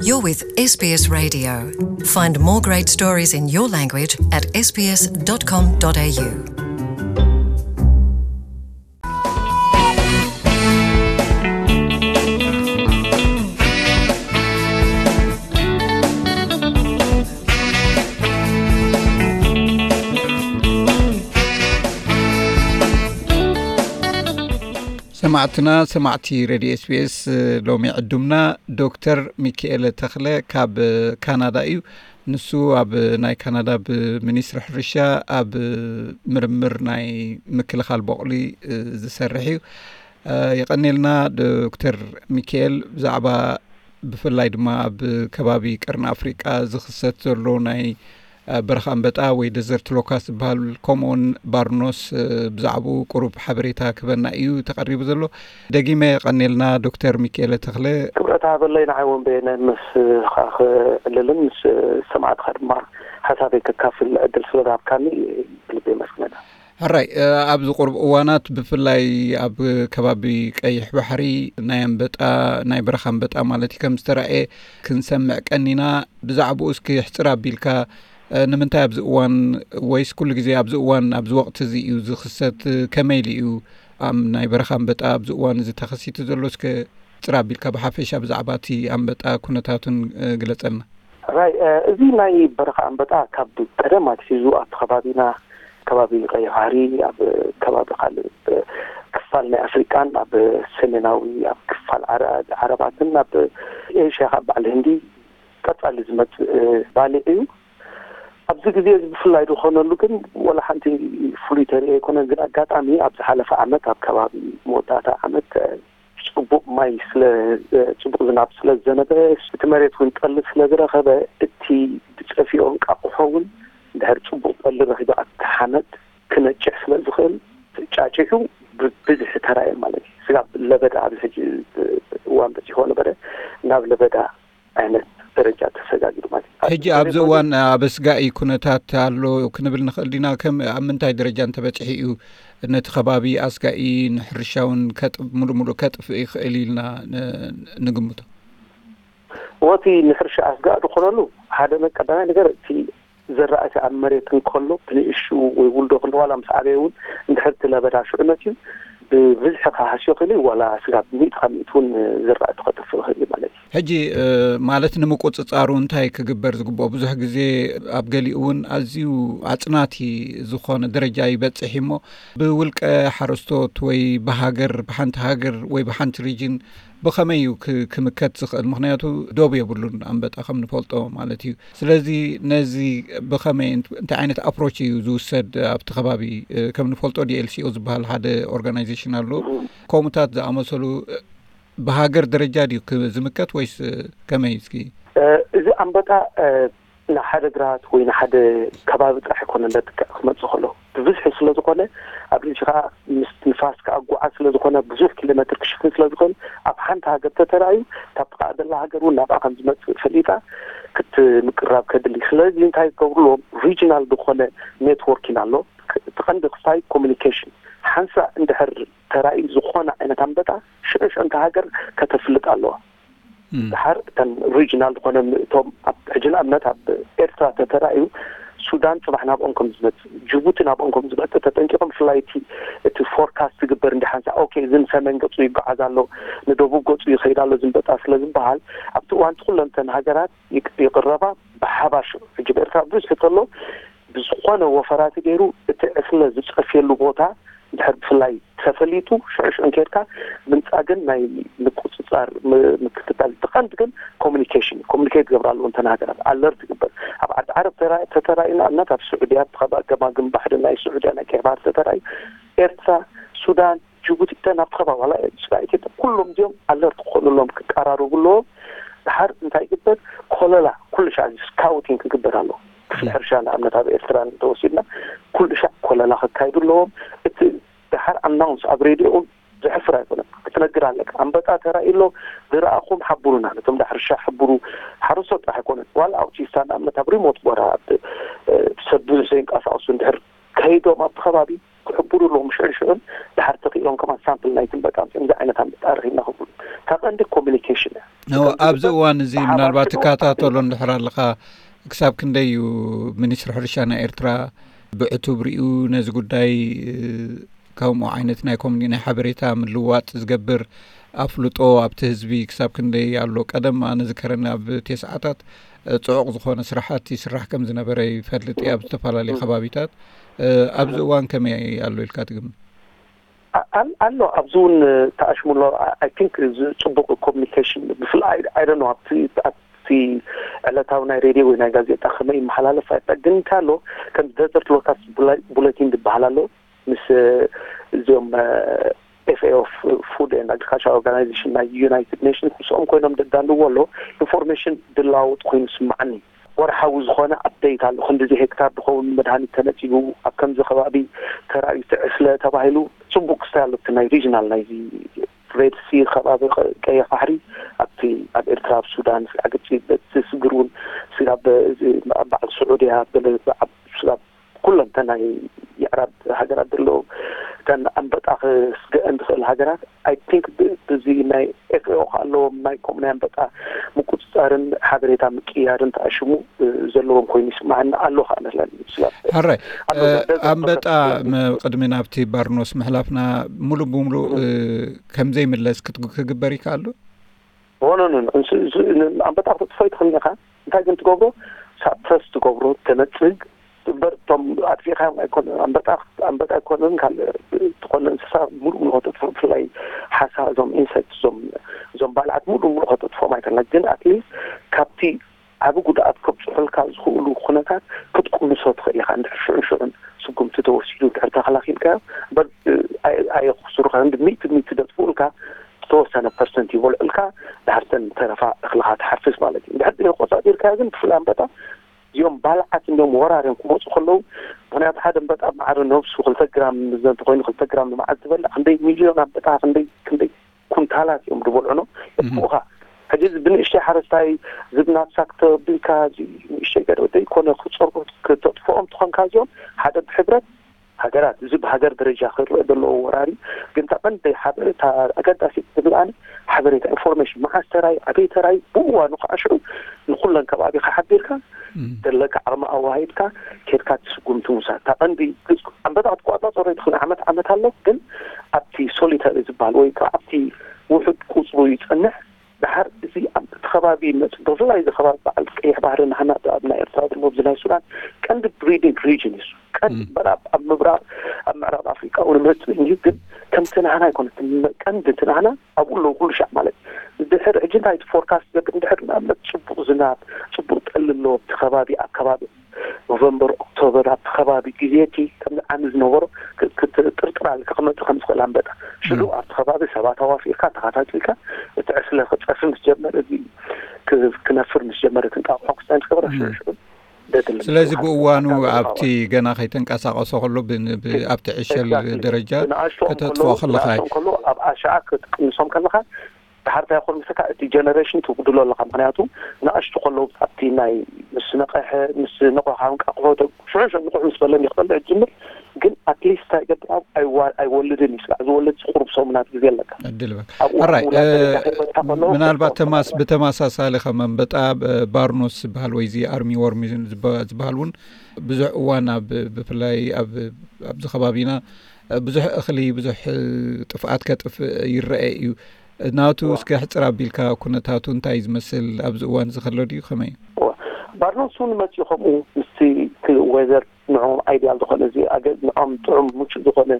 You're with S B S Radio. Find more great stories in your language at S B S dot com dot A U. ሰማዕትና፣ ሰማዕቲ ሬድዮ ኤስቢኤስ፣ ሎሚ ዕዱምና ዶክተር ሚካኤለ ተኽለ ካብ ካናዳ እዩ። ንሱ ኣብ ናይ ካናዳ ብሚኒስትሪ ሕርሻ ኣብ ምርምር ናይ ምክልኻል ቦቕሊ ዝሰርሕ እዩ። የቐኔልና ዶክተር ሚካኤል፣ ብዛዕባ ብፍላይ ድማ ኣብ ከባቢ ቀርኒ ኣፍሪቃ ዝኽሰት ዘሎ ናይ በረኻ ኣንበጣ ወይ ደዘርት ሎካስ ዝበሃል፣ ከምኡውን ባርኖስ ብዛዕባኡ ቁሩብ ሓበሬታ ክበና እዩ ተቐሪቡ ዘሎ። ደጊመ የቐኔልና ዶክተር ሚካኤለ ተኽለ። ክብረት ሃበለይ ንዓይ እውን በየነ ምስ ኻኽ ዕልልን ምስ ሰማዕትኻ ድማ ሓሳበይ ከካፍል ዕድል ስለ ዝሃብካኒ ብልቢ የመስግነካ። ሕራይ፣ ኣብዚ ቁሩብ እዋናት ብፍላይ ኣብ ከባቢ ቀይሕ ባሕሪ ናይ ኣንበጣ፣ ናይ በረኻ ኣንበጣ ማለት እዩ፣ ከም ዝተራእየ ክንሰምዕ ቀኒና። ብዛዕባኡ እስኪ ሕጽር ኣቢልካ፣ ንምንታይ ኣብዚ እዋን ወይስ ኩሉ ግዜ ኣብዚ እዋን ኣብዚ ወቕቲ እዚ እዩ ዝኽሰት? ከመይ ኢሉ እዩ ኣብ ናይ በረኻ ኣንበጣ ኣብዚ እዋን እዚ ተኸሲቱ ዘሎ? እስከ ሕጽር ኣቢልካ ብሓፈሻ ብዛዕባ እቲ ኣንበጣ ኩነታቱን ግለጸልና። ራይ እዚ ናይ በረኻ ኣንበጣ ካብ ቀደም ኣትሒዙ ኣብቲ ከባቢና ከባቢ ቀይሕ ባሕሪ ኣብ ከባቢ ካልእ ክፋል ናይ ኣፍሪቃን ኣብ ሰሜናዊ ኣብ ክፋል ዓረ- ዓረባትን ኣብ ኤሽያ ካብ በዓል ህንዲ ቀጻሊ ዝመጽእ ባልዕ እዩ። ኣብዚ ግዜ እዚ ብፍላይ ዝኾነሉ ግን ወላ ሓንቲ ፍሉይ ተርኢ ኣይኮነን። ግን ኣጋጣሚ ኣብ ዝሓለፈ ዓመት ኣብ ከባቢ መወዳእታ ዓመት ጽቡቕ ማይ ስለ ጽቡቕ ዝናብ ስለ ዝዘነበ እቲ መሬት እውን ጠሊ ስለ ዝረኸበ እቲ ዝጸፍኦ እንቃቑሖ እውን እንድሕር ጽቡቕ ጠሊ ረኺቡ ኣብቲ ሓመድ ክነጭሕ ስለ ዝኽእል ጫጭሑ ብብዝሒ ተራእየ ማለት እዩ። ስጋብ ለበዳ ኣብዚ ሕጂ እዋን በጺሕዎ ነበረ ናብ ለበዳ ዓይነት ደረጃ ተሰጋጊሩ ማለት እዩ። ሕጂ ኣብዚ እዋን ኣብ ኣስጋኢ ኩነታት ኣሎ ክንብል ንኽእል ዲና? ከም ኣብ ምንታይ ደረጃ እንተበጺሑ እዩ ነቲ ከባቢ ኣስጋኢ ንሕርሻ እውን ከጥ- ሙሉእ ሙሉእ ከጥፍእ ይኽእል ኢልና ን- ንግምቶ? ወቲ ንሕርሻ ኣስጋኢ ዝኾነሉ ሓደ ቀዳማይ ነገር እቲ ዘራእቲ ኣብ መሬት እንከሎ ብንእሽኡ ወይ ውልዶ ክንዲ ዋላ ምስ ዓበየ እውን እንድሕር እቲ ለበዳ ሽዑ መፅዩ ብብዝሒ ክሃስዮ ክእል እዩ፣ ዋላ ስጋብ ሚእቲ ካብ ሚእቲ እውን ዘራእቲ ከጥፍእ ይኽእል እዩ ማለት እዩ። ሕጂ ማለት ንምቁፅፃሩ እንታይ ክግበር ዝግብኦ? ብዙሕ ግዜ ኣብ ገሊኡ እውን ኣዝዩ ኣፅናቲ ዝኾነ ደረጃ ይበፅሕ እሞ ብውልቀ ሓረስቶት ወይ ብሃገር ብሓንቲ ሃገር ወይ ብሓንቲ ሪጅን ብኸመይ እዩ ክምከት ዝኽእል? ምኽንያቱ ዶብ የብሉን ኣንበጣ ከም ንፈልጦ ማለት እዩ። ስለዚ ነዚ ብኸመይ እንታይ ዓይነት ኣፕሮች እዩ ዝውሰድ ኣብቲ ከባቢ? ከም ንፈልጦ ዲኤልሲኦ ዝበሃል ሓደ ኦርጋናይዜሽን ኣሎ። ከምኡታት ዝኣመሰሉ ብሃገር ደረጃ ድዩ ዝምከት ወይስ ከመይ? እስኪ እዚ ኣንበጣ ንሓደ ግራት ወይ ንሓደ ከባቢ ጥራሕ ኣይኮነን ለጥቅዕ ክመፅእ ከሎ ብብዝሒ ስለ ዝኾነ ኣብ ርእሲ ከዓ ምስ ንፋስ ክኣጓዓዝ ስለ ዝኾነ ብዙሕ ኪሎ ሜትር ክሽፍን ስለ ዝኽእል ኣብ ሓንቲ ሃገር ተተራእዩ ካብ ጥቃ ዘላ ሃገር እውን ናብኣ ከም ዝመፅእ ፈሊጣ ክትምቅራብ ከድሊ። ስለዚ እንታይ ክገብርሎም ሪጅናል ዝኾነ ኔትወርኪን ኣሎ። እቲ ቀንዲ ክስታይ ኮሚኒኬሽን ሓንሳእ እንድሕር ተራእዩ ዝኾነ ዓይነት ኣንበጣ ሽዑ ሽዑ እንታ ሃገር ከተፍልጥ ኣለዋ። ድሓር እተን ሪጅናል ዝኾነ እቶም ኣብ ሕጂ ንኣብነት ኣብ ኤርትራ ተተራእዩ ሱዳን ፅባሕ ናብኦም ከም ዝመፅእ ጅቡቲ ናብኦም ከም ዝመፅእ ተጠንቂቆም ብፍላይ እቲ እቲ ፎርካስት ዝግበር እንዲ ሓንሳ ኦኬ እዚ ንሰሜን ገፁ ይጓዓዝ ኣሎ ንደቡብ ገፁ ይኸይድ ኣሎ ዝንበጣ ስለ ዝበሃል ኣብቲ እዋን እቲ ኩለንተን ሃገራት ይቅ- ይቅረባ ብሓባር ሽዑ ሕጂ ብኤርትራ ብዙሕ ተሎ ብዝኾነ ወፈራት ገይሩ እቲ ዕስለ ዝፀፍየሉ ቦታ እንድሕር ብፍላይ ተፈሊጡ ሽዑ ሽዑ እንኬድካ ምንፃግን ናይ ምቁፅፃር ምክትታል እቲ ቀንዲ ግን ኮሚኒኬሽን ኮሚኒኬት ገብራሉ እንተን ሃገራት ኣለርት ይግበር ኣብ ዓዲ ዓረብ ተተራእዩ ንኣብነት ኣብ ስዑድያ ኣብ ከባቢ ገማግም ባሕሪ ናይ ስዑድያ ናይ ቀይ ባህር ተተራእዩ ኤርትራ ሱዳን ጅቡቲ እተን ኣብቲ ከባቢ ዋላ ስጋ ኢትዮጵያ ኩሎም እዚኦም ኣለርት ክኾኑሎም ክቀራረቡ ኣለዎም ድሓር እንታይ ይግበር ኮለላ ኩሉ ሻዕ ስካውቲንግ ክግበር ኣለዎ ክፍሊ ሕርሻ ንኣብነት ኣብ ኤርትራ እንተወሲድና ኩሉ ሻዕ ኮለላ ከካይዱ ኣለዎም እቲ ድሓር ኣናውንስ ኣብ ሬድዮ እውን ዘሕፍር ኣይኮነን ክትነግር ኣለካ ኣንበጣ ተራእዩ ኣሎ ዝረኣኹም ሓብሩና ነቶም ዳ ሕርሻ ሕብሩ ሓረስቶት ጥራሕ ኣይኮነን ዋላ ኣውቲስታ ንኣብነት ኣብ ሪሞት ቦታ ሰብ ብዙሕ ዘይንቀሳቀሱ እንድሕር ከይዶም ኣብቲ ከባቢ ክሕብሩ ኣለዎም ሽዑን ሽዑን ድሓር ተኽኢሎም ከማን ሳምፕል ናይቲ ኣንበጣ ኣምፂኦም እዚ ዓይነት ኣንበጣ ረኺብና ክብሉ እታ ቀንዲ ኮሚኒኬሽን እያ ኣብዚ እዋን እዚ ምናልባት ትከታተሎ እንድሕር ኣለኻ፣ ክሳብ ክንደይ እዩ ሚኒስትሪ ሕርሻ ናይ ኤርትራ ብዕቱብ ሪኡ ነዚ ጉዳይ ከምኡ ዓይነት ናይ ኮሚኒ ናይ ሓበሬታ ምልዋጥ ዝገብር ኣፍልጦ ኣብቲ ህዝቢ ክሳብ ክንደይ ኣሎ? ቀደም ኣነ ዝከረኒ ኣብ ቴስዓታት ጽዑቕ ዝኾነ ስራሓት ይስራሕ ከም ዝነበረ ይፈልጥ እየ ኣብ ዝተፈላለዩ ከባቢታት። ኣብዚ እዋን ከመይ ኣሎ ኢልካ ትግምት? ኣሎ ኣብዚ እውን ተኣሽሙሎ። I think ጽቡቕ ኮሚኒኬሽን ብፍላይ I don't know ኣብቲ ዕለታዊ ናይ ሬድዮ ወይ ናይ ጋዜጣ ከመይ ይመሓላለፍ ኣይጠግን እንካሎ ከም ደዘርት ሎካስ ቡለቲን ዝበሃል ኣሎ ምስ እዚኦም FAO Food and Agriculture Organization ናይ United Nations ምስኦም ኮይኖም ደዳልዎ ኣሎ ኢንፎርሜሽን ድላወጥ ኮይኑ ስማዓኒ። ወርሓዊ ዝኾነ ኣፕዴት ኣሎ ክንዲዚ ሄክታር ዝኸውን መድሃኒት ተነፂጉ ኣብ ከምዚ ከባቢ ተራእዩ ትዕስለ ተባሂሉ። ፅቡቅ ክስታይ ኣሎ ናይ ሪጅናል ናይዚ ሬድ ሲ ከባቢ ቀይሕ ባሕሪ ኣብቲ ኣብ ኤርትራ ኣብ ሱዳን ስጋዕ ግብፂ በቲ ስግር እውን ስጋብ በዓል ስዑድያ ስጋብ ኩለንተ ናይ የዕራብ ሃገራት ዘለዉ እተን ኣንበጣ ክስገአን ዝኽእል ሃገራት I think ብዚ ናይ FAO ከ ኣለዎም ናይ ከምኡ ናይ ኣንበጣ ምቁፅፃርን ሓበሬታ ምቅያርን ተኣሽሙ ዘለዎም ኮይኑ ይስማዓኒ ኣሎ ከኣ መስለኒ ስጋብ ሕራይ ኣንበጣ ቅድሚ ናብቲ ባርኖስ ምሕላፍና ሙሉእ ብሙሉእ ከምዘይምለስ ክግበር ይከኣሉ ሆኖ ኣንበጣ ክትጥፎ ይትኽእል ኢኻ እንታይ ግን ትገብሮ ሳፕረስ ትገብሮ ተነፅግ እምበር እቶም ኣጥፊእካዮም ኣይኮነ ኣንበጣ ኣንበጣ ኣይኮነን ካልእ ዝኾነ እንስሳ ሙሉእ ሙሉ ከተጥፎ ብፍላይ ሓሳ እዞም ኢንሰክት እዞም እዞም ባልዓት ሙሉእ ሙሉ ከተጥፎም ኣይኮነ ግን ኣትሊስት ካብቲ ዓቢ ጉድኣት ከብፅሑልካ ዝኽእሉ ኩነታት ክትቅንሶ ትኽእል ኢኻ እንድሕር ሽዑን ሽዑን ስጉምቲ ተወሲዱ እንድሕር ተኸላኺልካዮ እምበር ኣየኽስሩኻ እንዲ ሚእቲ ሚእቲ ደጥፍኡልካ ዝተወሰነ ፐርሰንት ይበልዑልካ ድሕርተን ተረፋ እኽልኻ ትሓፍስ ማለት እዩ እንድሕር ቆፃፂርካዮ ግን ብፍላይ ኣንበጣ እዚኦም ባልዓት እንዲኦም ወራርዮም ክመፁ ከለዉ ምክንያቱ ሓደ እምበጣ ማዕረ ነብሱ ክልተ ግራም እንተኮይኑ ክልተ ግራም ንመዓልቲ ዝበልዕ ክንደይ ሚልዮን ኣንበጣ ክንደይ ክንደይ ኩንታላት እዮም ዝበልዑ ነው የጥፍኡኻ ሕጂ እዚ ብንእሽተይ ሓረስታይ ዝብ ናብሳ ክተቢልካ እዚ ንእሽተይ ገደ ዘይኮነ ክፀርቦ ክተጥፍኦም ትኾንካ እዚኦም ሓደ ብሕብረት ሃገራት እዚ ብሃገር ደረጃ ክረአ ዘለዎ ወራሪ ግን እታ ቀንደይ ሓበሬታ ኣገዳሲት ትብል ኣነ ሓበሬታ ኢንፎርሜሽን መዓስ ተራይ ኣበይ ተራይ ብእዋኑ ከዓ ሽዑ ንኩለን ከባቢካ ሓቢርካ ዘለካ ዓቕሚ ኣዋሂድካ ኬድካ ትስጉምቲ ምውሳድ እታ ቀንዲ ኣንበጣ ክትቆፃፀሮ ይትኽእል ዓመት ዓመት ኣሎ ግን ኣብቲ ሶሊተሪ ዝበሃል ወይ ከዓ ኣብቲ ውሑድ ቁፅሩ ይፀንሕ ደሓር እዚ ኣብቲ ከባቢ መፅ ብፍላይ እዚ ከባቢ በዓል ቀይሕ ባህሪ ናህና ኣብ ናይ ኤርትራ ዘሎ ኣብዚ ናይ ሱዳን ቀንዲ ብሪዲንግ ሪጅን እዩ ቀንዲ ምዕራብ ኣብ ምብራቕ ኣብ ምዕራብ ኣፍሪቃ እውን መፅእ እዩ ግን ከምቲ ናህና ኣይኮነ ቀንዲ እቲ ናህና ኣብኡ ኣለዉ ኩሉ ሻዕ ማለት ድሕር ሕጂ እንታይ እቲ ፎርካስት ገብር እንድሕር ንኣብነት ፅቡቅ ዝናብ ፅቡቅ ጠሊ ኣለዎ ኣብቲ ከባቢ ኣብ ከባቢ ኖቨምበር ኦክቶበር ኣብቲ ከባቢ ግዜ እቲ ከምዚ ዓሚ ዝነበሮ ክትጥርጥር ኣለካ ክመፅእ ከም ዝኽእል ኣንበጣ ሽዑ ኣብቲ ከባቢ ሰባት ኣዋፊርካ ተኸታቲልካ እቲ ዕስለ ክፀፊ ምስ ጀመረ እዚ ክነፍር ምስ ጀመረ እቲ እንጣቑሖ ክስታይ ምስ ገበረ ሽዑ ሽዑ ስለዚ ብእዋኑ ኣብቲ ገና ከይተንቀሳቀሶ ከሎ ኣብቲ ዕሸል ደረጃ ከተጥፍኦ ከለካ ከሎ ኣብ ኣሻዓ ክትቅንሶም ከለካ ድሓር እንታይ ይኾን ምስካ እቲ ጀነሬሽን ትጉድሎ ኣለካ ምክንያቱ ንኣሽቱ ከለዉ ኣብቲ ናይ ምስ ነቐሐ ምስ ነቑሕ እንቃቑሖ ሽዑ ንቑሕ ምስ በለ ይክበልዕ ዝጅምር ግን ኣትሊስት እንታይ ይገብር ኣይወልድን እዩ ስጋዕ ዝወልድ ቁሩብ ሰሙናት ግዜ ኣለካ ዕድል በል ሕራይ ምናልባት ተማስ ብተመሳሳሊ ከም ኣንበጣ ባርኖስ ዝበሃል ወይ እዚ ኣርሚ ወርሚ ዝበሃል እውን ብዙሕ እዋን ኣብ ብፍላይ ኣብዚ ከባቢና ብዙሕ እኽሊ ብዙሕ ጥፍኣት ከጥፍእ ይረአ እዩ ናቱ እስከ ሕፅር ኣቢልካ ኩነታቱ እንታይ ዝመስል ኣብዚ እዋን እዚ ከሎ ድዩ ከመይ እዩ ባርኖስ እውን መፅኡ ከምኡ ምስቲ ወዘር ንዕኦም ኣይድያል ዝኾነ እዚ ኣገ ንዕኦም ጥዑም ምቹእ ዝኾነ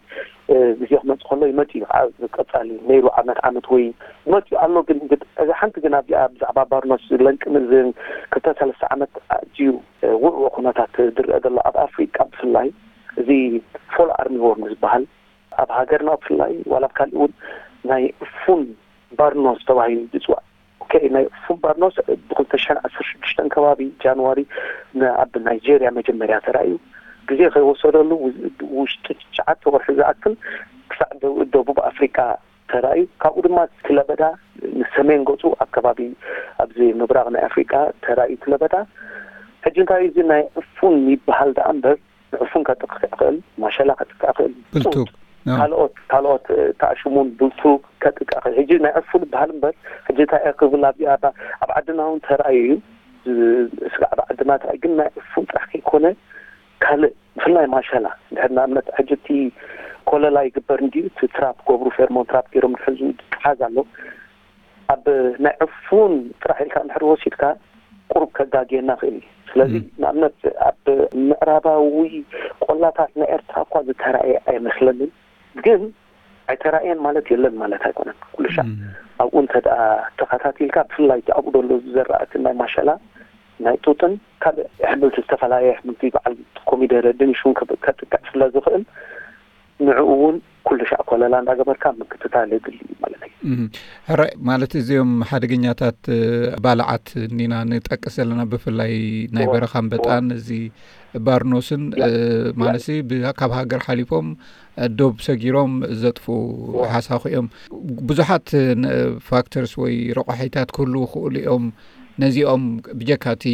ግዜ ክመፅእ ከሎ ይመፅእ እዩ ከዓ ቀፃሊ ነይሩ ዓመት ዓመት ወይ ይመፅእ ኣሎ ግን እዚ ሓንቲ ግን ኣብዚኣ ብዛዕባ ባርኖስ ለንቅን እዝን ክልተ ሰለስተ ዓመት ኣዝዩ ውዕዎ ኩነታት ዝረአ ዘሎ ኣብ ኣፍሪቃ ብፍላይ እዚ ፎል ኣርሚ ወርም ዝበሃል ኣብ ሃገርና ብፍላይ ዋላ ኣብ ካልእ እውን ናይ ፉን ባርኖስ ተባሂሉ ዝፅዋዕ ኦኬ ናይ ፉን ባርኖስ ብክልተ ሽሕን ዓሰርተ ሽዱሽተን ከባቢ ጃንዋሪ ኣብ ናይጀርያ መጀመርያ ተራእዩ ግዜ ከይወሰደሉ ውሽጢ ትሽዓተ ወርሒ ዝኣክል ክሳዕ ደቡብ ኣፍሪቃ ተራእዩ ካብኡ ድማ ክለበዳ ንሰሜን ገፁ ኣብ ከባቢ ኣብዚ ምብራቅ ናይ ኣፍሪቃ ተራእዩ ክለበዳ ሕጂ እንታይ እዚ ናይ ዕፉን ይበሃል ደኣ እምበር ንዕፉን ከጥቅዕ ይኽእል ማሸላ ከጥቅዕ ይኽእል ብልቱግ ካልኦት ካልኦት ተኣሽሙን ብልቱ ከጥቃ ሕጂ ናይ ዕፉን ዝበሃል እምበር ሕጂ እንታይ ክብል ኣብዚኣ ኣብ ዓድና እውን ተራእዩ እዩ። ስጋዕ ኣብ ዓድና ተራእዩ ግን ናይ ዕፉን ጥራሕ ከይኮነ ካልእ ብፍላይ ማሸላ ድሕር ንኣብነት ሕጂ እቲ ኮለላ ይግበር እንዲዩ እቲ ትራፕ ገብሩ ፌርሞን ትራፕ ገይሮም ድሕዙ ትሓዝ ኣሎ። ኣብ ናይ ዕፉን ጥራሕ ኢልካ እንድሕር ወሲድካ ቁሩብ ከጋግየና ክእል እዩ። ስለዚ ንኣብነት ኣብ ምዕራባዊ ቆላታት ናይ ኤርትራ እኳ ዝተራእየ ኣይመስለንን። ግን ኣይተራእየን ማለት የለን ማለት ኣይኮነን። ኩሉ ሻዕ ኣብኡ እንተ ደኣ ተኸታቲልካ ብፍላይ ኣብኡ ደሎ ዝዘራእቲ ናይ ማሸላ ናይ ጡጥን ካልእ ኣሕምልቲ ዝተፈላለየ ኣሕምልቲ በዓል ኮሚደረ ድንሽ እውን ከጥቅዕ ስለ ዝኽእል ንዕኡ እውን ኩሉ ሻዕ ኮለላ እንዳገበርካ ምክትታል የድሊ እዩ ማለት እዩ። ሕራይ ማለት እዚኦም ሓደገኛታት ባልዓት እንዲና ንጠቅስ ዘለና ብፍላይ ናይ በረኻ ኣንበጣን እዚ ባርኖስን ማለት ካብ ሃገር ሓሊፎም ዶብ ሰጊሮም ዘጥፉ ሓሳኹ እዮም። ብዙሓት ፋክተርስ ወይ ረቋሒታት ክህልዉ ክእሉ እዮም። ነዚኦም ብጀካ እቲ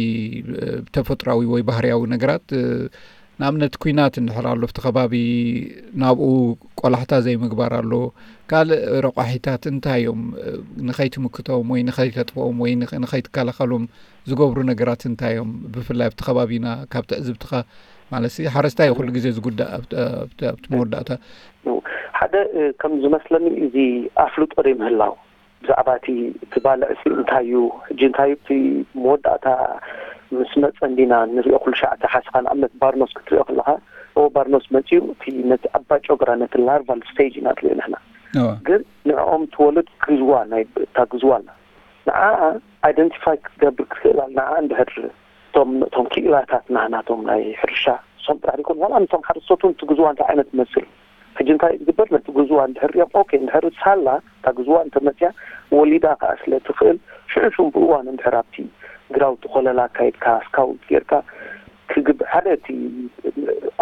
ተፈጥራዊ ወይ ባህርያዊ ነገራት ንኣብነት ኩናት እንድሕር ኣሎ ኣብቲ ከባቢ ናብኡ ቆላሕታ ዘይምግባር ኣሎ። ካልእ ረቋሒታት እንታይ እዮም ንኸይትምክቶም ወይ ንኸይተጥፍኦም ወይ ንኸይትከላኸሎም ዝገብሩ ነገራት እንታይ እዮም? ብፍላይ ኣብቲ ከባቢና ካብ ትዕዝብትኻ ማለት ሓረስታይ ኩሉ ግዜ ዝጉዳእ ኣብቲ መወዳእታ ሓደ ከም ዝመስለኒ እዚ ኣፍልጦ ደይ ምህላው ብዛዕባ እቲ እቲ ባልዕ ሲ እንታይ እዩ ሕጂ እንታይ እቲ መወዳእታ ምስ መፀ እንዲና ንሪኦ ኩሉ ሻዕ እቲ ሓስኻ ንኣብነት ባርኖስ ክትሪኦ ከለካ ኦ ባርኖስ መፂኡ እቲ ነቲ ኣባ ጨጉራ ነቲ ላርቫል ስቴጅ ኢና ንሪኦ ንሕና ግን ንዕኦም ትወልድ ግዝዋ ናይ እታ ግዝዋ ኣላ ንዓ ኣይደንቲፋይ ክትገብር ክትክእል ኣላ ንዓ እንድሕር እቶም እቶም ክኢላታት ናህናቶም ናይ ሕርሻ እሶም ጥራሕ ይኮን ዋላ ነቶም ሓረስቶት እውን ትግዝዋ እንታይ ዓይነት ትመስል ሕጂ እንታይ ዝግበር ነቲ ግዝዋ እንድሕር ሪኦም ኦኬ እንድሕር ሳላ እታ ግዝዋ እንተመፅያ ወሊዳ ከዓ ስለ ትኽእል ሽዑ ሽዑ ብእዋን እንድሕር ኣብቲ ግራውቲ ኮለላ ኣካይድካ ስካውት ጌርካ ክግብ ሓደ እቲ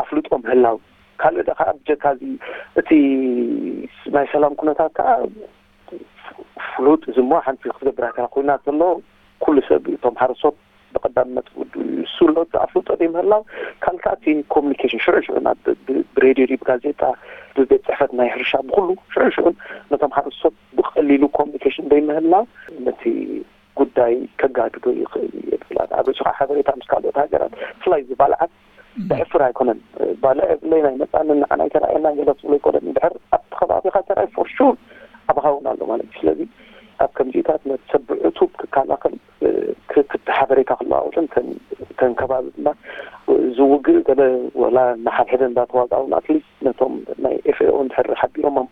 ኣፍልጦ ምህላው ካልእ ደኣ ከዓ ብጀካ እዚ እቲ ናይ ሰላም ኩነታት ከዓ ፍሉጥ እዚ እሞ ሓንቲ ክትገብር ኣይከላ ኮይና ዘሎ ኩሉ ሰብ እቶም ሓረስቶት ብቀዳምነት ውዱ እሱ ኣሎ እቲ ኣፍልጦ ዘይምህላው ካልካቲ ኮሚኒኬሽን ሽዑ ሽዑ ናብ ብሬድዮ ድዩ ብጋዜጣ ብቤት ፅሕፈት ናይ ሕርሻ ብኩሉ ሽዑ ሽዑ ነቶም ሓረስቶት ብቀሊሉ ኮሚኒኬሽን ዘይምህላው ነቲ ጉዳይ ከጋድዶ ይኽእል እዩ የብላን ኣብ ርእሱ ከዓ ሓበሬታ ምስ ካልኦት ሃገራት ብፍላይ እዚ ባልዓት ዘሕፍር ኣይኮነን ባልዕ የብለይ ናይ መፃኒ ንዓና ኣይተራእየና ገለ ትብሎ ኣይኮነን እንድሕር ኣብቲ ከባቢካ ተራይ ፎር ሹር ኣባኻ እውን ኣሎ ማለት እዩ ስለዚ ኣብ ከምዚታት ነቲ ሰብ ብዕቱብ ክከላኸል ክቲ ሓበሬታ ክለዋወጥን ተን ከባቢ ድማ ዝውግእ ገለ ወላ ንሓድሕደ እንዳተዋጋኡ ኣትሊስት ነቶም ናይ ኤፍኤኦ እንድሕር ሓቢሮሞም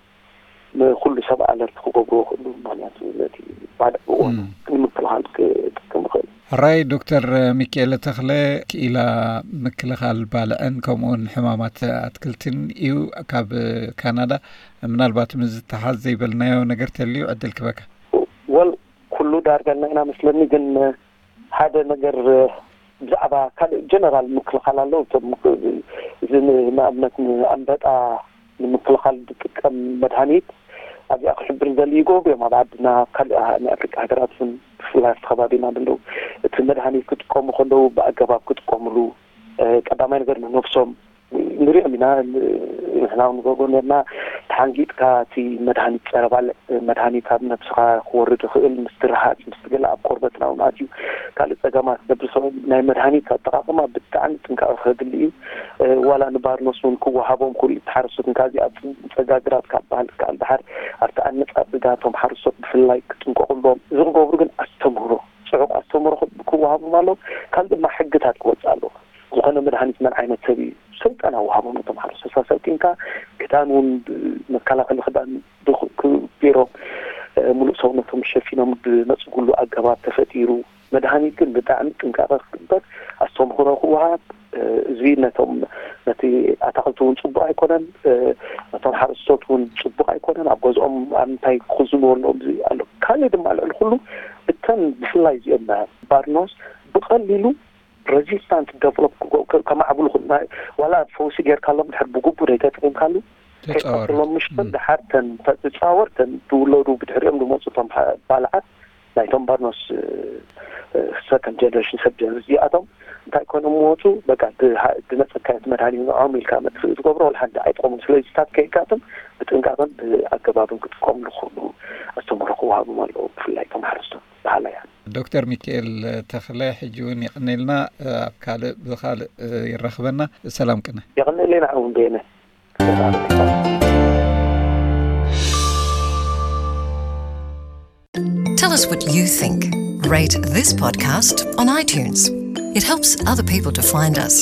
ንኩሉ ሰብ ኣለርት ክገብርዎ ክእሉ ምክንያቱ ነቲ ባድዕ ብእዋኑ ንምክልኻል ክጥቀም ይኽእል። ሕራይ ዶክተር ሚካኤለ ተኽለ ክኢላ ምክልኻል ባልዕን ከምኡውን ሕማማት ኣትክልትን እዩ ካብ ካናዳ። ምናልባት ምስ ዝተሓዝ ዘይበልናዮ ነገር ተልዩ ዕድል ክበካ። ወል ኩሉ ዳርጋ እና ኢና መስለኒ ግን ሓደ ነገር ብዛዕባ ካልእ ጀነራል ምክልኻል ኣለዉ እቶም እዚ ንኣብነት ንኣንበጣ ንምክልኻል ዝጥቀም መድሃኒት ኣብዚኣ ክሕብር ዘል ይገብሩ እዮም ኣብ ዓድና ኣብ ካልእ ናይ ኣፍሪቃ ሃገራት እውን ብፍላይ ኣብቲ ከባቢና ዘለዉ እቲ መድሃኒት ክጥቀሙ ከለዉ ብኣገባብ ክጥቀምሉ ቀዳማይ ነገር ንነብሶም ንሪኦም ኢና ንሕና ንገብሮ ነርና ተሓንጊጥካ እቲ መድሃኒት ፀረ ባልዕ መድሃኒት ኣብ ነብስኻ ክወርድ ይኽእል ምስቲ ረሃፅ ምስቲ ገለ ኣብ ቆርበትና እውን ኣትዩ ካልእ ፀገማት ነብሶ ናይ መድሃኒት ኣጠቃቅማ ብጣዕሚ ጥንቃቐ ከድሊ እዩ ዋላ ንባርኖስ እውን ክወሃቦም ክሉ ተሓረሱት እንካዚ ኣብ ፀጋግራት ካብ ባህል ካል ድሓር ኣብቲ ኣነፃፅጋ እቶም ሓረስቶት ብፍላይ ክጥንቀቁሎም እዚ ክገብሩ ግን ኣስተምህሮ ፅዑቅ ኣስተምህሮ ክወሃቦም ኣለዎ ካልእ ድማ ሕግታት ክወፅእ ኣለዎ ዝኾነ መድሃኒት መን ዓይነት ሰብ እዩ ስልጠና ወሃቦም ነቶም ሓረስቶት ሰልጢንካ ክዳን እውን መከላኸሊ ክዳን ገይሮም ሙሉእ ሰውነቶም ሸፊኖም ዝነፅጉሉ ኣገባብ ተፈጢሩ መድሃኒት ግን ብጣዕሚ ጥንቃቐ ክግበር ኣስተምህሮ ክወሃብ እዚ ነቶም ነቲ ኣታክልቲ እውን ፅቡቅ ኣይኮነን ነቶም ሓረስቶት እውን ፅቡቅ ኣይኮነን ኣብ ገዝኦም ኣብ ምንታይ ክኽዝንዎ ኣለዎም ኣሎ ካልእ ድማ ልዕሊ ኩሉ እተን ብፍላይ እዚኦም ባርኖስ ብቀሊሉ resistant develop ከማዕብሉ ዋላ ፈውሲ ጌርካሎም ድሕር ብግቡ ዘይተጠቂምካሉ ከይቀፅሎም ምሽተን ድሓር ተን ተፃወር ተን ዝውለዱ ብድሕሪኦም ዝመፁ ቶም ባልዓት ናይቶም ባርኖስ ከም ጀነሬሽን ሰብ ጀን እዚኣቶም እንታይ ኮይኖም መወፁ በቃ ድመፀካዮ መድሃኒ ንዖም ኢልካ መጥፍእ ዝገብሮ ወላ ሓንቲ ኣይጠቕሙን። ስለዚ ስታት ከይጋጥም ብጥንቃቐን ብኣገባብን ክጥቀምሉ ክኽእሉ ኣስተምህሮ ክወሃቦም ኣለዎ። ብፍላይ እቶም ሓረስቶት በሃላይ እያ። ዶክተር ሚካኤል ተኽለ ሕጂ እውን የቐኔልና። ኣብ ካልእ ብኻልእ ይራኽበና። ሰላም ቅነ። የቐኔልና እውን በየነ። Tell us what you think. Rate this podcast on iTunes. It helps other people to find us.